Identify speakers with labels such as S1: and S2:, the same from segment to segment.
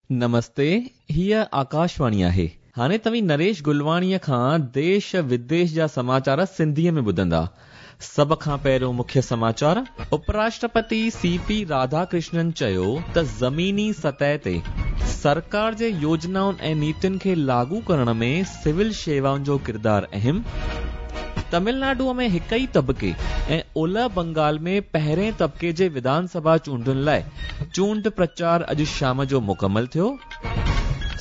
S1: نمستي، هيء آڪاشواڻي آهي. هاڻي توهين نريش گلواڻيء کان ديش وديش جا سماچار سنڌيء ۾ ٻڌندا. سڀ کان پهريون مکيه سماچار. اپراشٽرپتي سي پي راڌاڪرشنن چيو ته زميني سطح تي سرڪار جي يوجنائن ۽ نيتين کي لاڳو ڪرڻ ۾ سول شيوائن جو ڪردار اهم. تمل ناڊوء ۾ هڪ ئي طبقي ۽ اولهه بنگال ۾ پهرين طبقي جي وڌان سڀا چونڊن لاء چونڊ پرچار اڄ شام جو مڪمل ٿيو.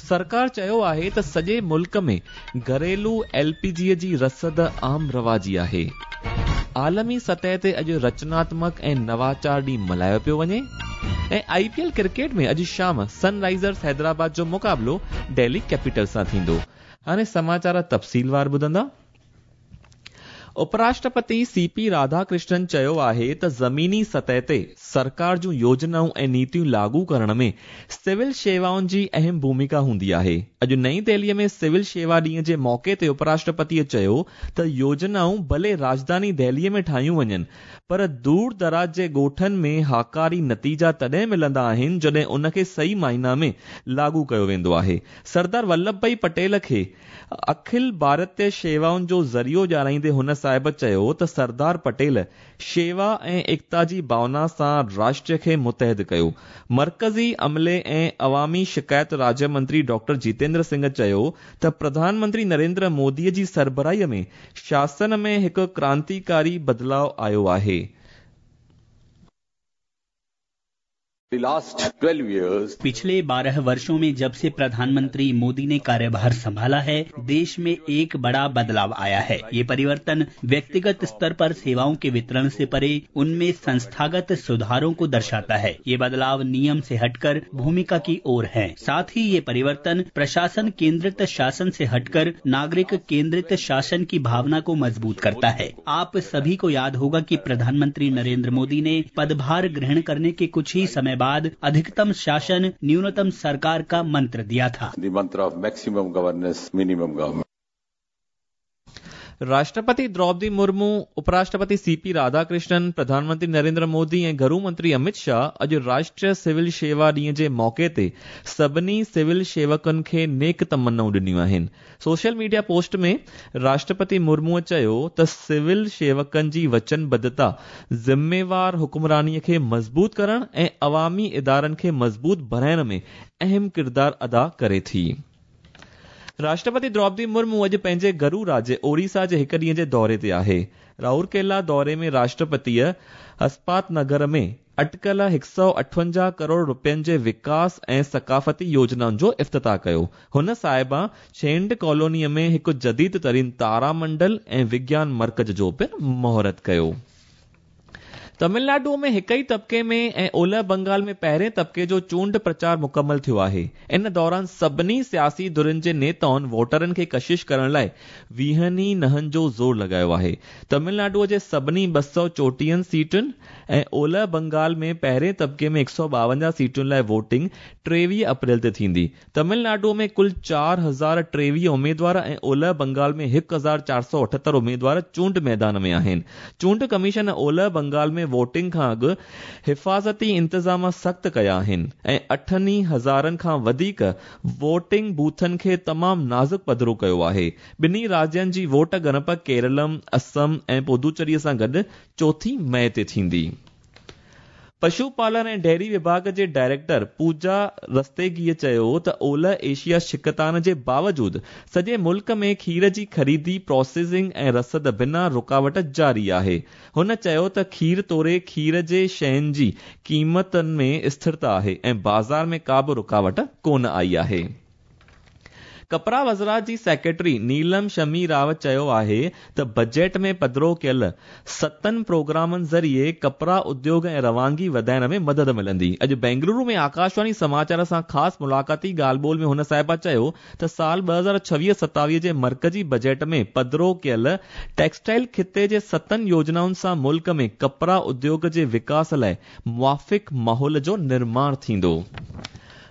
S1: سرڪار چيو آهي ته سڄي ملڪ ۾ گهريلو ايل پي جي جي رسد عام رواجي آهي. عالمي سطح تي اڄ رچناتمڪ ۽ نواچار ڏينهن ملهايو پيو وڃي ۽ آء پي ايل ڪرڪيٽ ۾ اڄ شام سن رائيزرز حيدرآباد جو مقابلو ڊيلي ڪيپيٽلز سان ٿيندو. هاڻي سماچار تفصيلوار ٻڌندا. اپراشٽرپتي سي پي راڌاڪرشنن چيو آهي ته زميني سطح تي سرڪار جون يوجنائون ۽ نيتيون لاڳو ڪرڻ ۾ سول شيوائن جي اهم ڀوميڪا هوندي آهي. اڄ نئين دهلي ۾ سول شيوا ڏينهن جي موقعي تي اپراشٽرپتيء چيو ته يوجنائون ڀلي راڄڌاني دهلي ۾ ٺاهيون وڃن پر دور دراز جي ڳوٺن ۾ هاڪاري نتيجا تڏهن ملندا آهن جڏهن ان کي صحيح معنيٰ ۾ لاڳو ڪيو ويندو آهي. سردار ولڀ ڀائي پٽيل کي اکل ڀارتيه شيوائن جو ذريعو ڄاڻائيندي هن صاحب چيو ته سردار پٽيل شيوا ۽ ايڪتا جي ڀاونا سان راشٽر کي متحد ڪيو. مرڪزي عملي ۽ عوامي شڪايت راجيه منتري ڊاڪٽر جيتيندر سنگهه چيو ته پرڌان منتري نريندر مودي جي سربراهي ۾ شاسن ۾ هڪ ڪرانتيڪاري بدلاء آيو آهي.
S2: The last 12 years.
S3: पिछले 12 वर्षों में जब से प्रधानमंत्री मोदी ने कार्यभार संभाला है, देश में एक बड़ा बदलाव आया है। ये परिवर्तन व्यक्तिगत स्तर पर सेवाओं के वितरण से परे उनमें संस्थागत सुधारों को दर्शाता है। ये बदलाव नियम से हटकर भूमिका की ओर है। साथ ही ये परिवर्तन प्रशासन केंद्रित शासन से हटकर नागरिक केंद्रित शासन की भावना को मजबूत करता है। आप सभी को याद होगा कि प्रधानमंत्री नरेंद्र मोदी ने पदभार ग्रहण करने के कुछ ही समय बाद अधिकतम शासन न्यूनतम सरकार का मंत्र दिया था।
S2: The mantra of maximum governance, minimum government.
S1: Rashtrapati Draupadi Murmu, उपराष्ट्रपति सी पी राधाकृष्णन, प्रधानमंत्री नरेंद्र मोदी ऐं घरू मंत्री अमित शाह अॼु राष्ट्रीय सिविल शेवा ॾींहं जे मौक़े ते सभिनी सिविल शेवकनि खे नेक तमन्नाऊं ॾिनियूं आहिनि। सोशल मीडिया पोस्ट ۾ راشٽرپتي مرموء چيو ته سول شيوڪن جي وچنبڌتا ذميوار حڪمراني کي مضبوط ڪرڻ ۽ عوامي ادارن کي مضبوط بڻائڻ ۾ اهم ڪردار ادا ڪري ٿي. راشٽرپتي دروپدي مرمو اڄ پنهنجي گهرو راجيه اوڙيسا جي هڪ ڏينهن جي دوري تي آهي. رائورڪيلا دوري ۾ راشٽرپتيء اسپات نگر ۾ اٽڪل 158 ڪروڙ رپين جي وڪاس ۽ ثقافتي يوجنائن جو افتتاح ڪيو. هن صاحبه ڇينڊ ڪالونيء ۾ هڪ جديد ترين تارا منڊل ۽ وگيان مرڪز جو پڻ مهورت ڪيو. تمل ناڊوء ۾ هڪ ئي طبقي ۾ ۽ اولهه بنگال ۾ پهرين طبقي جو چونڊ پرچار مڪمل ٿيو آهي. ان دوران سڀني سياسي ڌرين جي نيتائن ووٽرن کي ڪشش ڪرڻ لاء ويهن ئي نهن جو زور لڳايو آهي. تمل ناڊوء جي سڀني ٻه سؤ چوٽيهن سيٽن ۽ اولهه بنگال ۾ پهرين طبقي ۾ 152 سيٽن لاء ووٽنگ 23 اپريل تي ٿيندي. تمل ناڊوء ۾ ڪل 4023 اميدوار ۽ اولهه بنگال ۾ 1478 اميدوار چونڊ ميدان ۾ آهن. چونڊ ڪميشن اولهه بنگال ۾ ووٽنگ کان اڳ حفاظتي انتظام سخت ڪيا آهن ۽ اٺن ئي هزارن کان وڌيڪ ووٽنگ بوٿن کي تمام نازڪ پڌرو ڪيو آهي. ٻنهي راجين جي ووٽ ڳڻپ ڪيرلم، اسم ۽ پدوچيري سان گڏ چوٿين مئي تي ٿيندي. پشو پالن ۽ ڊيري وڀاڳ جي ڊائريڪٽر پوجا رستيگيء چيو ته اولهه ايشيا ڇڪتاڻ جي باوجود سڄي ملڪ ۾ کير جي خريدي، پراسيسنگ ۽ رسد بنا رڪاوٽ جاري آهي. هن چيو ته کير توڙي کير جي شين جي قيمتن ۾ اسٿرتا آهي ۽ بازار ۾ ڪا به رڪاوٽ ڪونه آئي آهي. ڪپڙا وزارت جي سيڪريٽري نيلم شمي راو چيو آهي ته بجيٽ ۾ پڌرو ڪيل ستن پروگرامن ذريعي ڪپڙا اديوگ ۽ روانگي وڌائڻ ۾ مدد ملندي. اڄ بينگلورو ۾ آڪاشواڻي سماچار سان خاص ملاقاتي ڳالهه ٻولهه ۾ هن صاحبه چيو ته سال 2026-27 جي مرڪزي بجيٽ ۾ پڌرو ڪيل ٽيڪسٽائل خطي جي ستن يوجنائن سان ملڪ ۾ ڪپڙا اديوگ جي وڪاس لاء موافق ماحول جو نرماڻ ٿيندو.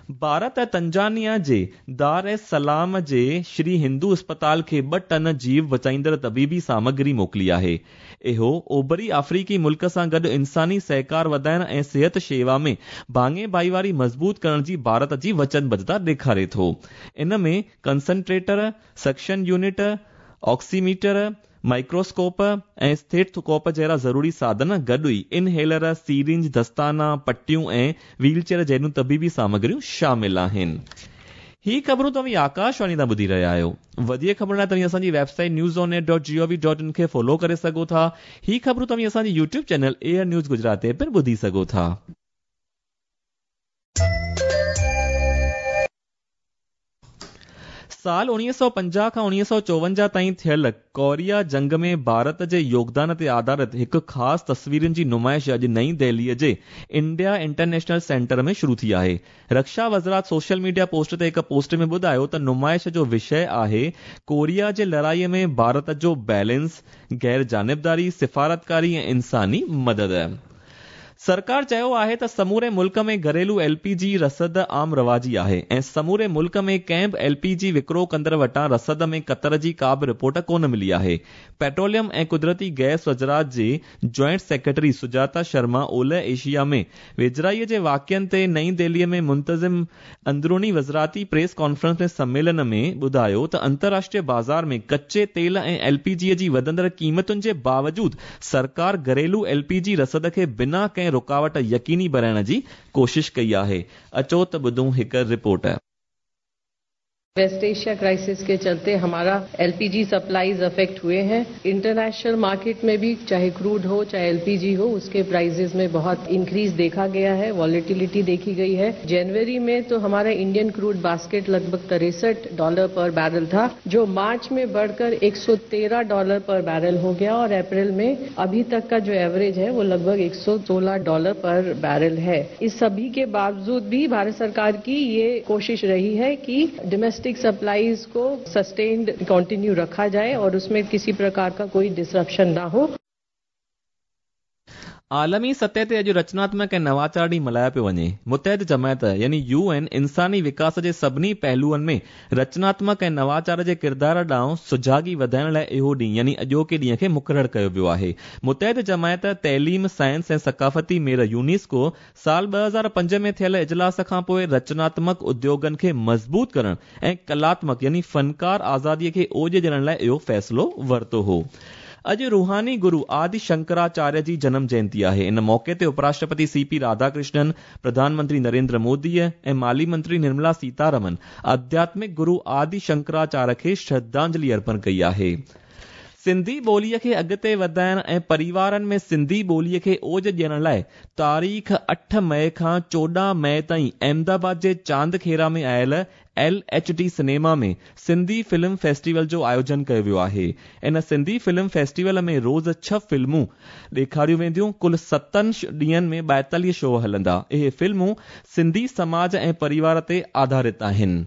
S1: ڀارت تنزانيا جي دار ايس سلام جي شري هندو اسپتال کي 2 ٽن جيو بچائيندڙ طبيبي سامگري موڪلي آهي. اهو اوڀري آفريقي ملڪ سان گڏ انساني سهڪار وڌائڻ ۽ صحت شيوا ۾ ڀاڱي ڀائيواري مضبوط ڪرڻ جي ڀارت جي وچنبڌتا ڏيکاري ٿو. ان ۾ concentrator, suction unit, oximeter, microscope ۽ stethoscope جهڙا ضروري ساڌن گڏ ئي انهيلر، سيرنج، دستانا، پٽيون ۽ ويل چيئر جهڙيون طبيبي سامگريون شامل آهن. هي خبرون توهين آڪاشواڻي تان ٻڌي رهيا آهيو. وڌيڪ خبرن لاء توهين اسان جي website news on air dot G O V dot in کي فالو ڪري سگهو ٿا. هي خبرون توهين اسان جي YouTube channel AIR news Gujarat تي پڻ ٻڌي سگهو ٿا. سال 1950 کان 1954 تائين ٿيل ڪوريا جنگ ۾ ڀارت جي يوگدان تي آڌارت هڪ خاص تصويرن جي نمائش اڄ نئين دهليء جي انڊيا انٽرنيشنل سينٽر ۾ شروع ٿي آهي. رڪشا وزارت سوشل ميڊيا پوسٽ تي هڪ پوسٽ ۾ ٻڌايو ته نمائش جو وشيه آهي ڪوريا جي لڙائي ۾ ڀارت جو بيلنس، غير جانبداري، سفارتڪاري ۽ انساني مدد. سرڪار چيو آهي ته سموري ملڪ ۾ گهريلو ايل پي جي رسد عام رواجي آهي ۽ سموري ملڪ ۾ ڪنهن به ايل پي جي وڪرو ڪندڙ وٽان رسد ۾ ڪتر جي ڪا به رپورٽ ڪونه ملي آهي. پيٽروليم ۽ قدرتي گئس وزارت جي جوائنٽ سيڪريٽري سجاتا شرما اولهه ايشيا ۾ ويجهڙائي جي واقعن تي نئين دهلي ۾ منتظم اندروني وزارتي پريس ڪانفرنس ۾ سميلن ۾ ٻڌايو ته انترراشٽريه بازار ۾ ڪچي تيل ۽ ايل پي جي جي وڌندڙ قيمتن جي باوجود سرڪار گهريلو ايل پي جي رسد کي بنا ڪنهن رڪاوٽ يقيني بڻائڻ جي ڪوشش ڪئي آهي. اچو ته ٻڌون هڪ report.
S4: West Asia crisis के चलते हमारा एलपीजी सप्लाईज अफेक्ट हुए हैं। इंटरनेशनल मार्केट में भी चाहे क्रूड हो चाहे एलपीजी हो, उसके प्राइसेस में बहुत इंक्रीज देखा गया है, वॉलेटिलिटी देखी गई है। जनवरी में तो हमारा इंडियन क्रूड बास्केट लगभग 63 डॉलर पर बैरल था, जो मार्च में बढ़कर 113 डॉलर पर बैरल हो गया और अप्रैल में अभी तक का जो एवरेज है वो लगभग 116 डॉलर पर बैरल है। इस सभी के बावजूद भी भारत सरकार की ये कोशिश रही है कि डोमेस्टिक सप्लाईज को सस्टेन्ड कंटिन्यू रखा जाए और उसमें किसी प्रकार का कोई डिसरप्शन ना हो।
S1: आलमी सतह ते अॼु रचनात्मक ऐं नवाचार ॾींहुं मल्हायो पियो वञे। मुतहद जमायत यानी you N इंसानी विकास जे सभिनी पहलुअनि में रचनात्मक ऐं नवाचार जे किरदार ॾांहुं सुजागी वधाइण लाइ इहो ॾींहुं यानी अॼोके ॾींहं खे मुक़ररु कयो वियो आहे। मुतहद जमायत तइलीम, साइंस ऐं सकाफ़ती मेर यूनेस्को साल 2005 में थियल इजलास खां पोइ रचनात्मक उद्योगनि खे मज़बूत करण ऐं कलात्मक यानी फ़नकार आज़ादीअ खे ओज ॾियण लाइ इहो फ़ैसिलो वरितो हो। अॼु रूहानी गुरू आदि शंकराचार्य जी जनम जयंती आहे। इन मौक़े ते उपराष्ट्रपति सी पी राधाकृष्णन, प्रधानमंत्री नरेंद्र मोदी ऐं माली मंत्री निर्मला सीतारमन आध्यात्मिक गुरू आदि शंकराचार्य खे श्रद्धांजलि अर्पण कई आहे। सिंधी ॿोलीअ खे अॻिते वधाइण ऐं परिवारनि में सिंधी ॿोलीअ खे ओज ॾियण लाइ तारीख़ 8 मई खां 14 मई ताईं अहमदाबाद जे चांदखेरा में आयल L H D cinema में सिंधी फिल्म फेस्टिवल जो आयोजन कयो वियो आहे। इन सिंधी फिल्म फेस्टिवल में रोज़ 6 फिल्मूं ॾेखारियूं वेंदियूं। कुल 7 ॾींहंनि में 42 शो हलंदा। इहे फिल्मूं सिंधी समाज ऐं परिवार ते आधारित आहिनि।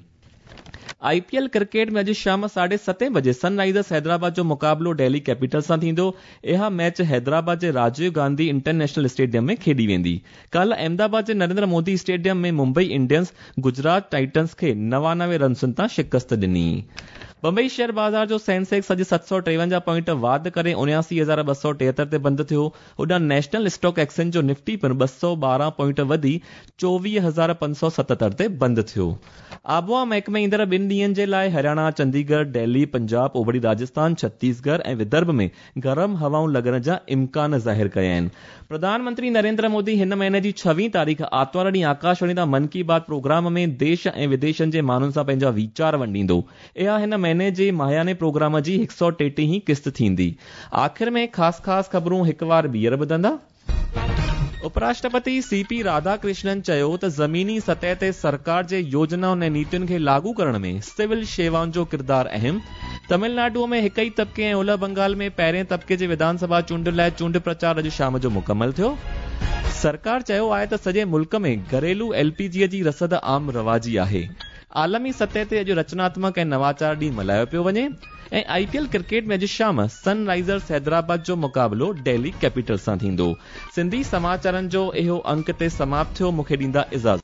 S1: आईपीएल क्रिकेट में अॼु शाम 7:30 बजे सनराइजर्स हैदराबाद जो मुक़ाबिलो डेल्ही कैपिटल सां थींदो। इहा मैच हैदराबाद जे राजीव गांधी इंटरनेशनल स्टेडियम में खेॾी वेंदी। काल्ह अहमदाबाद जे नरेंद्र मोदी स्टेडियम में मुंबई इंडियंस गुजरात टाइटंस खे 99 रनसुनि तां शिकस्त ॾिनी। बंबई शेयर बाज़ार जो सेंसेक्स अॼु 753 पॉइंट वाध करे 79,273 ते बंदि थियो। होॾां नेशनल स्टॉक एक्सचेंज जो निफ्टी पिणु 212 पॉइंट वधी 24,577 ते बंदि थियो। आबोहवा महकमे ईंदड़ 2 ॾींहंनि जे लाइ हरियाणा, चंडीगढ़, दिल्ली, पंजाब, ओभरी राजस्थान, छत्तीसगढ़ ऐं विदर्भ में गरम हवाऊं लॻण जा इम्कान ज़ाहिर कया आहिनि। प्रधानमंत्री नरेंद्र मोदी हिन महीने जी 26 तारीख़ आतिवार ॾींहुं आकाशवाणी तां मन की बात प्रोग्राम में देश ऐं विदेशनि जे माण्हुनि सां पंहिंजा वीचार वंडींदो। इहा हिन महीने जे माहियाने प्रोग्राम जी 133 क़िस्त थींदी। आख़िर में ख़ासि ख़ासि ख़बरूं हिकु वार ॿीहर ॿुधंदा। उपराष्ट्रपति सी पी राधाकृष्णन चयो त ज़मीनी सतह ते सरकार जे योजनाउनि ऐं नीतियुनि खे लागू करण में सिविल शेवाउनि जो किरदार अहम। तमिलनाडु में हिक ई तबिके ऐं उलह बंगाल में पहिरें तबिके जे विधानसभा चूंडुनि लाइ चूंड प्रचार अॼु शाम जो मुकमल थियो। सरकार चयो आहे त सॼे मुल्क में घरेलू एलपीजी जी रसद आम रवाजी आहे। आलमी सतह ते अॼु रचनात्मक ऐं नवाचार ॾींहुं मल्हायो पियो वञे ऐं आईपीएल क्रिकेट में अॼु शाम सनराइजर्स हैदराबाद जो मुक़ाबिलो डेल्ही कैपिटल सां थींदो। सिंधी समाचारनि जो इहो अंक ते समाप्त थियो। मूंखे ॾींदा इजाज़त।